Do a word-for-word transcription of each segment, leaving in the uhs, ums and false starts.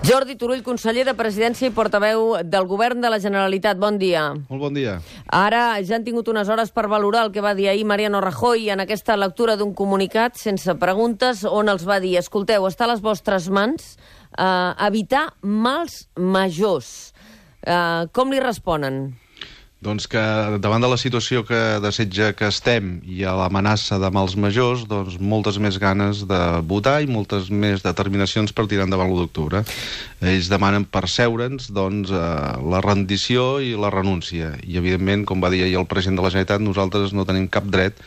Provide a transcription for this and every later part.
Jordi Turull, conseller de Presidència i portaveu del Govern de la Generalitat. Bon dia. Molt bon dia. Ara ja han tingut unes hores per valorar el que va dir ahir Mariano Rajoy en aquesta lectura d'un comunicat sense preguntes on els va dir: escolteu, està a les vostres mans eh, evitar mals majors. Eh, com li responen? Doncs que davant de la situació que desitja que estem i a l'amenaça de mals majors, doncs moltes més ganes de votar i moltes més determinacions per tirar endavant l'u d'octubre. Ells demanen per seure'ns doncs, eh, la rendició i la renúncia. I, evidentment, com va dir ahir el president de la Generalitat, nosaltres no tenim cap dret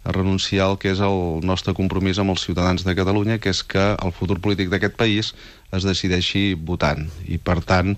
a renunciar al que és el nostre compromís amb els ciutadans de Catalunya, que és que el futur polític d'aquest país es decideixi votant. I, per tant,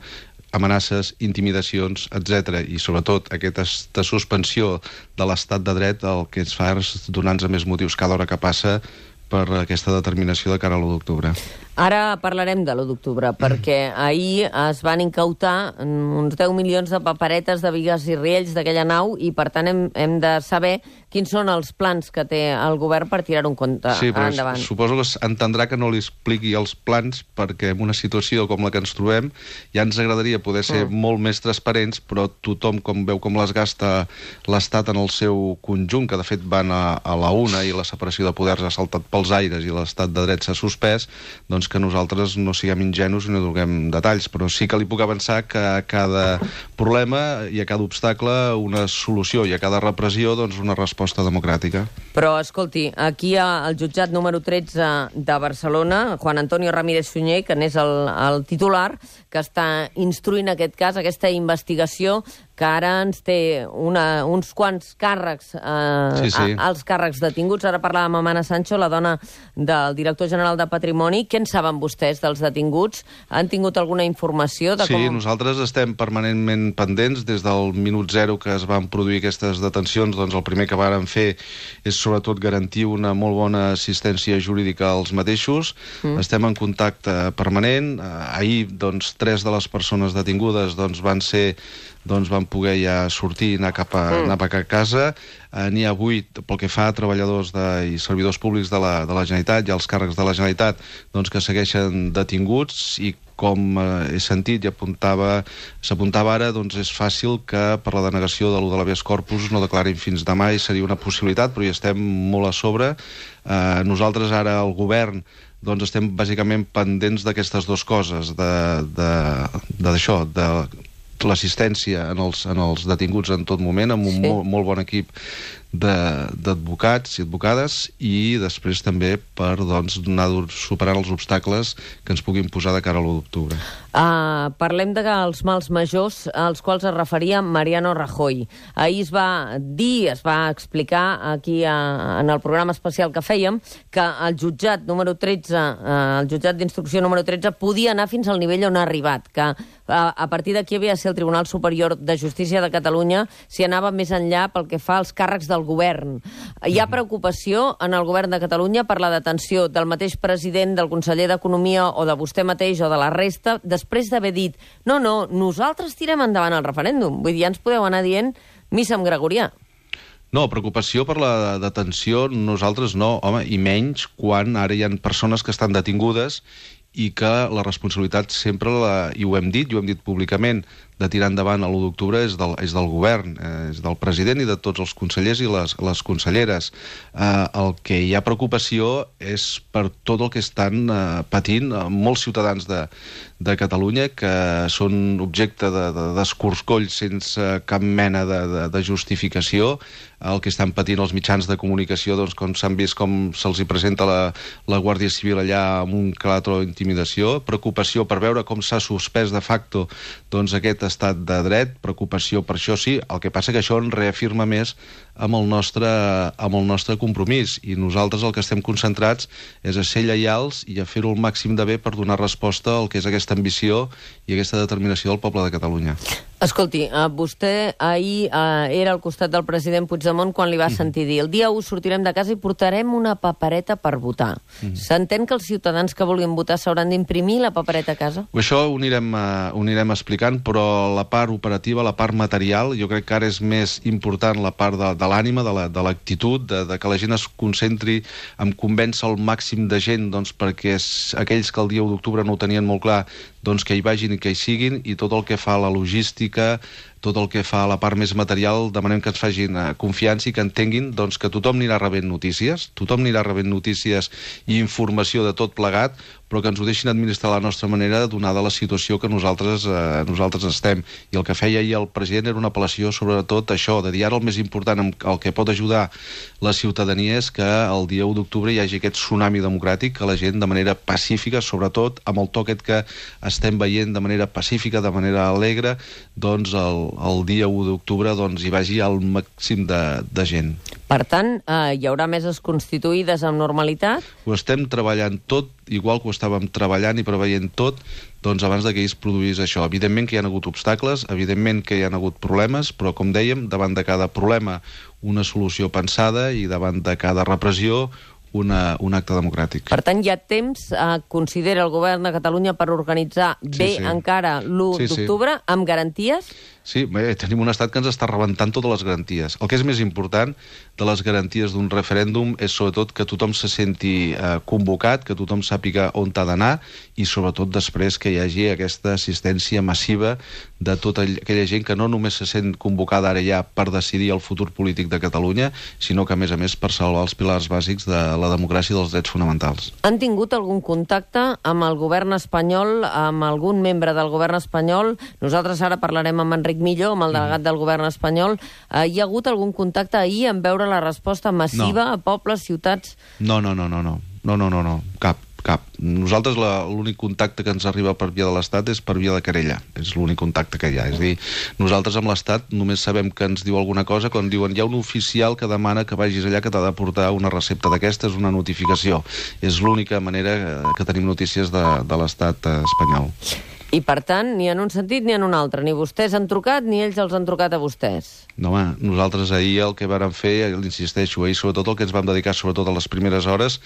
amenaces, intimidacions, etcètera, i sobretot aquesta suspensió de l'estat de dret el que ens fa és donar-nos més motius cada hora que passa per aquesta determinació de cara a l'u d'octubre. Ara parlarem de l'u d'octubre, perquè ahir es van incautar uns deu milions de paperetes de bigues i riells d'aquella nau i, per tant, hem, hem de saber quins són els plans que té el govern per tirar un compte sí, però endavant. Suposo que entendrà que no li expliqui els plans, perquè en una situació com la que ens trobem ja ens agradaria poder ser mm. molt més transparents, però tothom com veu com les gasta l'Estat en el seu conjunt, que de fet van a, a la una i la separació de poders ha saltat pels aires i l'estat de dret s'ha suspès, doncs que nosaltres no siguem ingenus i no donem detalls, però sí que li puc avançar que a cada problema i a cada obstacle una solució i a cada repressió doncs una resposta democràtica. Però, escolti, aquí al jutjat número tretze de Barcelona, Juan Antonio Ramírez Sunyer, que n'és el, el titular, que està instruint aquest cas, aquesta investigació, que ara ens té una, uns quants càrrecs, eh, sí, sí. A, als càrrecs detinguts. Ara parlàvem amb Anna Sancho, la dona del director general de Patrimoni. Què en saben vostès dels detinguts? Han tingut alguna informació de com... Sí, nosaltres estem permanentment pendents. Des del minut zero que es van produir aquestes detencions, doncs el primer que vàrem fer és sobretot garantir una molt bona assistència jurídica als mateixos. Mm. Estem en contacte permanent. Ahir, doncs, tres de les persones detingudes doncs, van ser... doncs van poder ja sortir i anar cap a, mm. anar cap a casa. Eh, N'hi ha vuit pel que fa a treballadors de, i servidors públics de la, de la Generalitat i els càrrecs de la Generalitat doncs, que segueixen detinguts i com eh, he sentit i apuntava, s'apuntava ara, doncs és fàcil que per la denegació de l'u de l'habeas corpus no declarin fins demà i seria una possibilitat, però hi estem molt a sobre. Eh, nosaltres ara, el govern, doncs estem bàsicament pendents d'aquestes dues coses, d'això, de, de, de l'assistència en els, en els detinguts en tot moment, amb un sí. molt, molt bon equip d'advocats i advocades, i després també per doncs, anar superant els obstacles que ens puguin posar de cara a l'u d'octubre. Uh, parlem dels mals majors als quals es referia Mariano Rajoy. Ahir es va dir, es va explicar aquí a, en el programa especial que fèiem, que el jutjat número tretze, uh, el jutjat d'instrucció número tretze podia anar fins al nivell on ha arribat, que uh, a partir d'aquí havia de ser el Tribunal Superior de Justícia de Catalunya si anava més enllà pel que fa als càrrecs del govern. Hi ha preocupació en el govern de Catalunya per la detenció del mateix president, del conseller d'Economia o de vostè mateix o de la resta, després d'haver dit no, no, nosaltres tirem endavant el referèndum. Vull dir, ja ens podeu anar dient missa amb gregorià. No, preocupació per la detenció nosaltres no, home, i menys quan ara hi ha persones que estan detingudes i que la responsabilitat sempre, la, i ho hem dit, i ho hem dit públicament, de tirar endavant a l'u d'octubre és, del, és del govern, eh, és del president i de tots els consellers i les, les conselleres. Eh, el que hi ha preocupació és per tot el que estan eh, patint eh, molts ciutadans de, de Catalunya que són objecte d'escorcoll de, de, sense cap mena de, de, de justificació, el que estan patint els mitjans de comunicació, doncs, com s'han vist com se'ls hi presenta la, la Guàrdia Civil allà amb un calatro d'intimidació, preocupació per veure com s'ha suspès de facto doncs, aquest estat de dret, preocupació per això sí, el que passa que això en reafirma més amb el nostre, amb el nostre compromís, i nosaltres el que estem concentrats és a ser lleials i a fer-ho el màxim de bé per donar resposta al que és aquesta ambició i aquesta determinació del poble de Catalunya. Escolti, uh, vostè ahir uh, era al costat del president Puigdemont quan li va sentir dir el dia u sortirem de casa i portarem una papereta per votar. Mm. S'entén que els ciutadans que vulguin votar s'hauran d'imprimir la papereta a casa? Això ho anirem, uh, ho anirem explicant, però la part operativa, la part material, jo crec que ara és més important la part de, de l'ànima, de l'actitud, la, de, de que la gent es concentri en convèncer el màxim de gent, doncs, perquè aquells que el dia u d'octubre no ho tenien molt clar, doncs que hi vagin i que hi siguin, i tot el que fa la logística, tot el que fa la part més material, demanem que ens facin uh, confiança i que entenguin doncs, que tothom anirà rebent notícies, tothom anirà rebent notícies i informació de tot plegat, però que ens ho deixin administrar a la nostra manera, donada la situació que nosaltres, eh, nosaltres estem. I el que feia ahir el president era una apel·lació sobretot això, de dir ara el més important, el que pot ajudar la ciutadania és que el dia u d'octubre hi hagi aquest tsunami democràtic, que la gent de manera pacífica, sobretot amb el to aquest que estem veient de manera pacífica, de manera alegre, doncs el, el dia u d'octubre doncs, hi vagi el màxim de, de gent. Per tant, eh, hi haurà meses constituïdes amb normalitat? Ho estem treballant tot, igual que ho estàvem treballant i preveient tot, doncs abans que es produís això. Evidentment que hi ha hagut obstacles, evidentment que hi ha hagut problemes, però com dèiem, davant de cada problema una solució pensada i davant de cada repressió una, un acte democràtic. Per tant, hi ha temps, eh, considera el govern de Catalunya, per organitzar sí, bé sí. encara l'u sí, d'octubre, sí. amb garanties? Sí, bé, tenim un estat que ens està rebentant totes les garanties. El que és més important de les garanties d'un referèndum és sobretot que tothom se senti eh, convocat, que tothom sàpiga on ha d'anar i sobretot després que hi hagi aquesta assistència massiva de tota aquella gent que no només se sent convocada ara ja per decidir el futur polític de Catalunya, sinó que a més a més per salvar els pilars bàsics de la democràcia i dels drets fonamentals. Han tingut algun contacte amb el govern espanyol, amb algun membre del govern espanyol? Nosaltres ara parlarem amb Enric Millo, amb el delegat del govern espanyol. Eh, hi ha hagut algun contacte ahir en veure la resposta massiva no. a pobles, ciutats? No, no, no, no, no, no, no, no, no. cap, cap. Nosaltres l'únic contacte que ens arriba per via de l'Estat és per via de querella. És l'únic contacte que hi ha. És a dir, nosaltres amb l'Estat només sabem que ens diu alguna cosa quan diuen hi ha un oficial que demana que vagis allà que t'ha de portar una recepta d'aquestes, una notificació. És l'única manera que tenim notícies de, de l'Estat espanyol. I, per tant, ni en un sentit ni en un altre. Ni vostès han trucat, ni ells els han trucat a vostès. No, home, nosaltres ahir el que vàrem fer, l'insisteixo, ahir sobretot el que ens vam dedicar, sobretot a les primeres hores,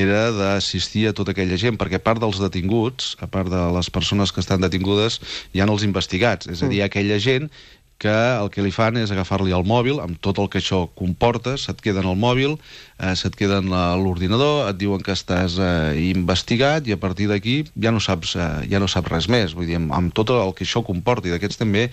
era d'assistir a tota aquella gent, perquè a part dels detinguts, a part de les persones que estan detingudes, hi ha els investigats, és a dir, aquella gent que el que li fan és agafar-li el mòbil, amb tot el que això comporta, se't queda en el mòbil, eh, se't queda en l'ordinador, et diuen que estàs eh, investigat i a partir d'aquí ja no saps eh, ja no saps res més, vull dir, amb, amb tot el que això comporta, i d'aquests també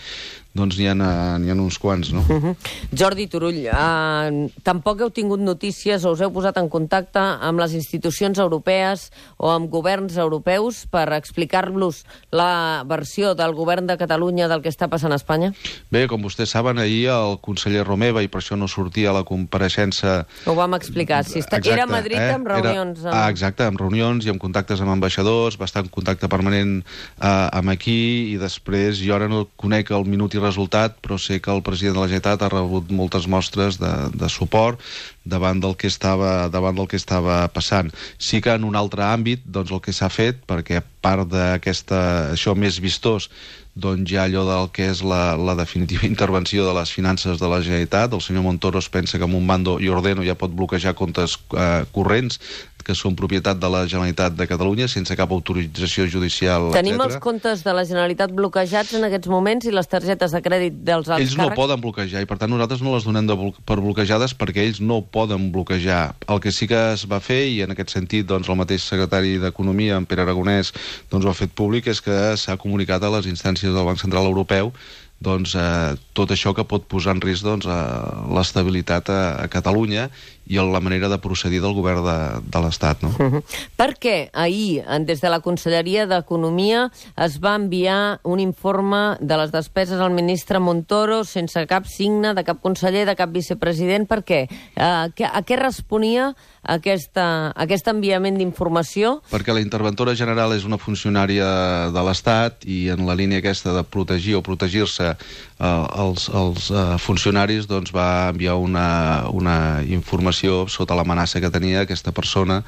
doncs n'hi ha, n'hi ha uns quants, no? Uh -huh. Jordi Turull, eh, tampoc heu tingut notícies o us heu posat en contacte amb les institucions europees o amb governs europeus per explicar-los la versió del govern de Catalunya del que està passant a Espanya? Bé, com vostès saben, ahir el conseller Romeva, i per això no sortia a la compareixença... Ho vam explicar, si està... exacte, era a Madrid eh? amb reunions... Era... Ah, exacte, amb reunions i amb contactes amb ambaixadors, va estar en contacte permanent eh, amb aquí, i després jo ara no conec el minut i resultat, però sé que el president de la Generalitat ha rebut moltes mostres de, de suport davant del que estava davant del que estava passant. Sí que en un altre àmbit, doncs el que s'ha fet, perquè a part d'aquesta això més vistós, doncs ja allò del que és la, la definitiva intervenció de les finances de la Generalitat, el senyor Montoro es pensa que amb un mando i ordeno ja pot bloquejar comptes eh, corrents que són propietat de la Generalitat de Catalunya sense cap autorització judicial, Tenim etcètera. Els comptes de la Generalitat bloquejats en aquests moments i les targetes de crèdit dels alts ells no càrrecs? poden bloquejar i per tant nosaltres no les donem de blo per bloquejades perquè ells no poden bloquejar. El que sí que es va fer, i en aquest sentit doncs, el mateix secretari d'Economia, en Pere Aragonès, doncs, ho ha fet públic, és que s'ha comunicat a les instàncies del Banc Central Europeu doncs, eh, tot això que pot posar en risc doncs, eh, l'estabilitat a, a Catalunya i la manera de procedir del govern de, de l'Estat. No? Uh -huh. Per què ahir, des de la Conselleria d'Economia, es va enviar un informe de les despeses al ministre Montoro sense cap signe de cap conseller, de cap vicepresident? Per què? Uh, a què responia aquesta, aquest enviament d'informació? Perquè la interventora general és una funcionària de l'Estat i en la línia aquesta de protegir o protegir-se eh, els, els eh, funcionaris doncs va enviar una, una informació sota l'amenaça que tenia aquesta persona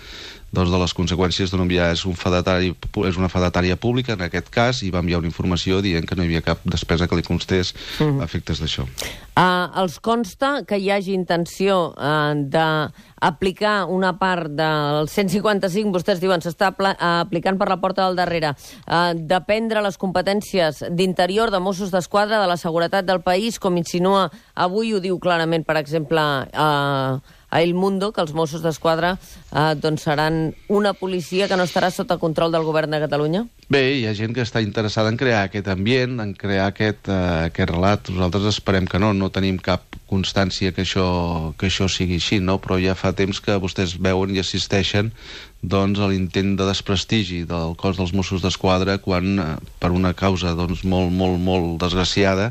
doncs, de les conseqüències de no enviar. És, un fedatari, és una fedatària pública, en aquest cas, i va enviar una informació dient que no hi havia cap despesa que li constés uh-huh. a efectes d'això. Uh, els consta que hi hagi intenció uh, d'aplicar una part del cent cinquanta-cinc, vostès diuen, s'està apl- uh, aplicant per la porta del darrere, uh, de prendre les competències d'interior de Mossos d'Esquadra, de la seguretat del país, com insinua avui, ho diu clarament, per exemple, uh, a El Mundo, que els Mossos d'Esquadra eh, doncs seran una policia que no estarà sota control del govern de Catalunya? Bé, hi ha gent que està interessada en crear aquest ambient, en crear aquest, uh, aquest relat. Nosaltres esperem que no, no tenim cap constància que això, que això sigui així, no? Però ja fa temps que vostès veuen i assisteixen doncs, a l'intent de desprestigi del cos dels Mossos d'Esquadra quan, uh, per una causa doncs, molt, molt, molt desgraciada,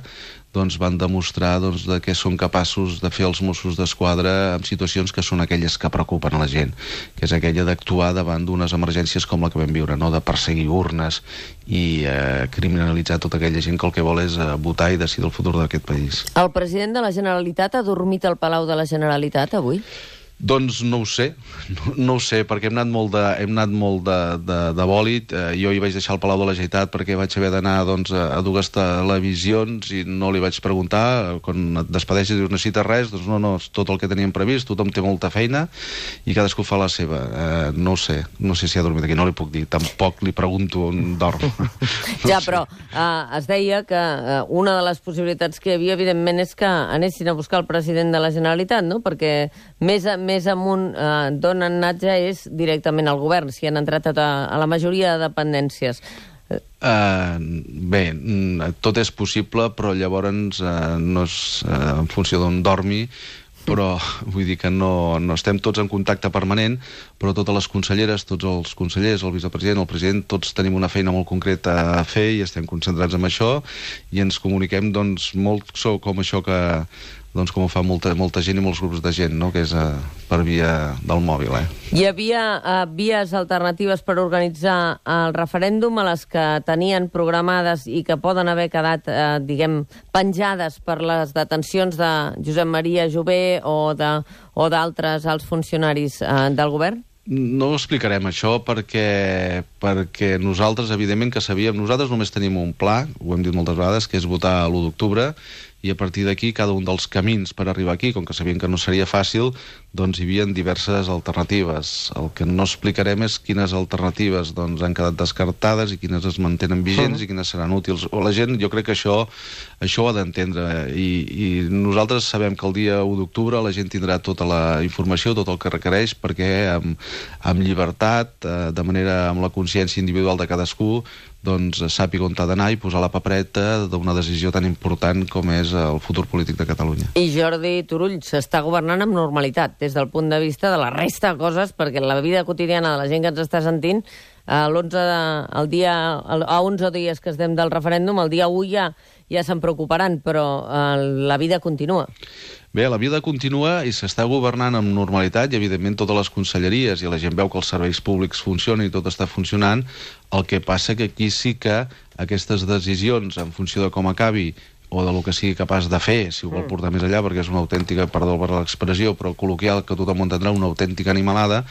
doncs van demostrar doncs, de què són capaços de fer els Mossos d'Esquadra en situacions que són aquelles que preocupen a la gent, que és aquella d'actuar davant d'unes emergències com la que vam viure, no? De perseguir urnes i eh, criminalitzar tota aquella gent que el que vol és eh, votar i decidir el futur d'aquest país. El president de la Generalitat ha dormit al Palau de la Generalitat avui? Doncs no ho sé, no, no ho sé, perquè hem anat molt de, hem anat molt de, de, de bòlit. Eh, jo hi vaig deixar el Palau de la Generalitat perquè vaig haver d'anar doncs, a dues televisions i no li vaig preguntar. Quan et despedeixes i dius necessites res, doncs no, no, és tot el que teníem previst, tothom té molta feina i cadascú fa la seva. Eh, no ho sé, no sé si ha dormit aquí, no li puc dir, tampoc li pregunto on dorm. No ja, sé. però eh, es deia que eh, una de les possibilitats que hi havia, evidentment, és que anessin a buscar el president de la Generalitat, no? Perquè més a més més amunt eh, d'on han anat ja és directament al govern, si han entrat a, a la majoria de dependències. Uh, bé, tot és possible, però llavors uh, no és uh, en funció d'on dormi, però vull dir que no, no estem tots en contacte permanent, però totes les conselleres, tots els consellers, el vicepresident, el president, tots tenim una feina molt concreta a fer i estem concentrats en això i ens comuniquem doncs molt com això que doncs com ho fa molta, molta gent i molts grups de gent, no? Que és uh, per via del mòbil. Eh? Hi havia uh, vies alternatives per organitzar el referèndum a les que tenien programades i que poden haver quedat, uh, diguem, penjades per les detencions de Josep Maria Jové o d'altres alts funcionaris uh, del govern? No ho explicarem, això, perquè, perquè nosaltres, evidentment, que sabíem... Nosaltres només tenim un pla, ho hem dit moltes vegades, que és votar l'u d'octubre, i a partir d'aquí cada un dels camins per arribar aquí, com que sabien que no seria fàcil, doncs hi havia diverses alternatives. El que no explicarem és quines alternatives doncs, han quedat descartades i quines es mantenen vigents uh-huh. i quines seran útils. O la gent, jo crec que això, això ho ha d'entendre, I, i nosaltres sabem que el dia u d'octubre la gent tindrà tota la informació, tot el que requereix, perquè amb, amb llibertat, eh, de manera amb la consciència individual de cadascú, doncs sàpiga on ha d'anar i posar la papereta d'una decisió tan important com és el futur polític de Catalunya. I Jordi Turull s'està governant amb normalitat des del punt de vista de la resta de coses, perquè la vida quotidiana de la gent que ens està sentint, l'onze de, el dia, a onze dies que estem del referèndum, el dia u ja, ja se'n preocuparan, però eh, la vida continua. Bé, la vida continua i s'està governant amb normalitat i, evidentment, totes les conselleries i la gent veu que els serveis públics funcionen i tot està funcionant. El que passa que aquí sí que aquestes decisions, en funció de com acabi o de lo que sigui capaç de fer, si ho vol portar més enllà, perquè és una autèntica, perdó per l'expressió, però col·loquial, que tothom ho entendrà, una autèntica animalada,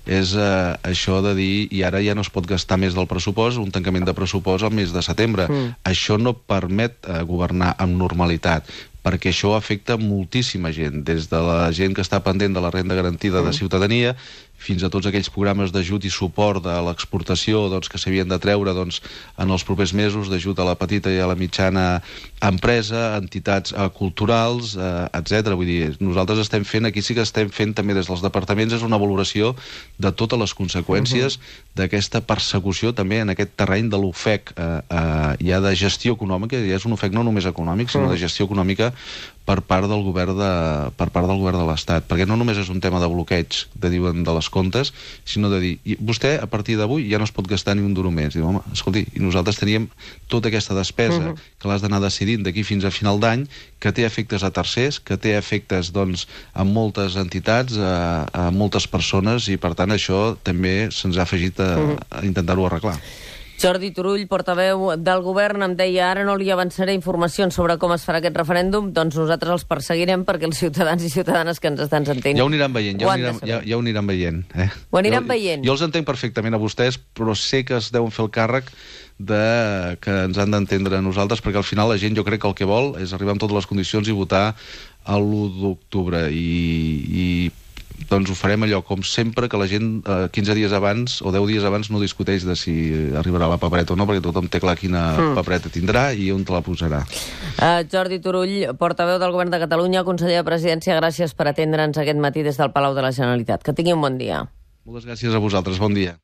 és eh, això de dir, i ara ja no es pot gastar més del pressupost, un tancament de pressupost al mes de setembre. Mm. Això no permet eh, governar amb normalitat, perquè això afecta moltíssima gent, des de la gent que està pendent de la renda garantida de ciutadania, fins a tots aquells programes d'ajut i suport de l'exportació doncs, que s'havien de treure doncs, en els propers mesos, d'ajut a la petita i a la mitjana empresa, entitats eh, culturals, eh, etcètera. Vull dir, nosaltres estem fent, aquí sí que estem fent també des dels departaments, és una valoració de totes les conseqüències uh-huh. d'aquesta persecució també en aquest terreny de l'ofec eh, eh, ja de gestió econòmica, ja és un ofec no només econòmic, sinó uh-huh. de gestió econòmica per part del govern de, per part del govern de l'Estat, perquè no només és un tema de bloqueig, de diuen de les comptes, sinó de dir, i vostè a partir d'avui ja no es pot gastar ni un duro més. Diu, home, escolti, i nosaltres teníem tota aquesta despesa uh-huh. que l'has d'anar decidint d'aquí fins a final d'any, que té efectes a tercers, que té efectes doncs a moltes entitats, a, a moltes persones, i per tant això també se'ns ha afegit a, a intentar-ho arreglar. Jordi Turull, portaveu del govern, em deia ara no li avançaré informacions sobre com es farà aquest referèndum, doncs nosaltres els perseguirem perquè els ciutadans i ciutadanes que ens estan sentint... Ja ho aniran veient, ja ho, ho aniran, ja, ja ho aniran veient. Eh? Ho aniran jo, veient. Jo els entenc perfectament a vostès, però sé que es deuen fer el càrrec de que ens han d'entendre a nosaltres, perquè al final la gent jo crec que el que vol és arribar amb totes les condicions i votar l'u d'octubre. I, i doncs ho farem allò, com sempre, que la gent eh, quinze dies abans o deu dies abans no discuteix de si arribarà la papereta o no, perquè tothom té clar quina mm. papereta tindrà i on te la posarà. Uh, Jordi Turull, portaveu del Govern de Catalunya, conseller de Presidència, gràcies per atendre'ns aquest matí des del Palau de la Generalitat. Que tingui un bon dia. Moltes gràcies a vosaltres, bon dia.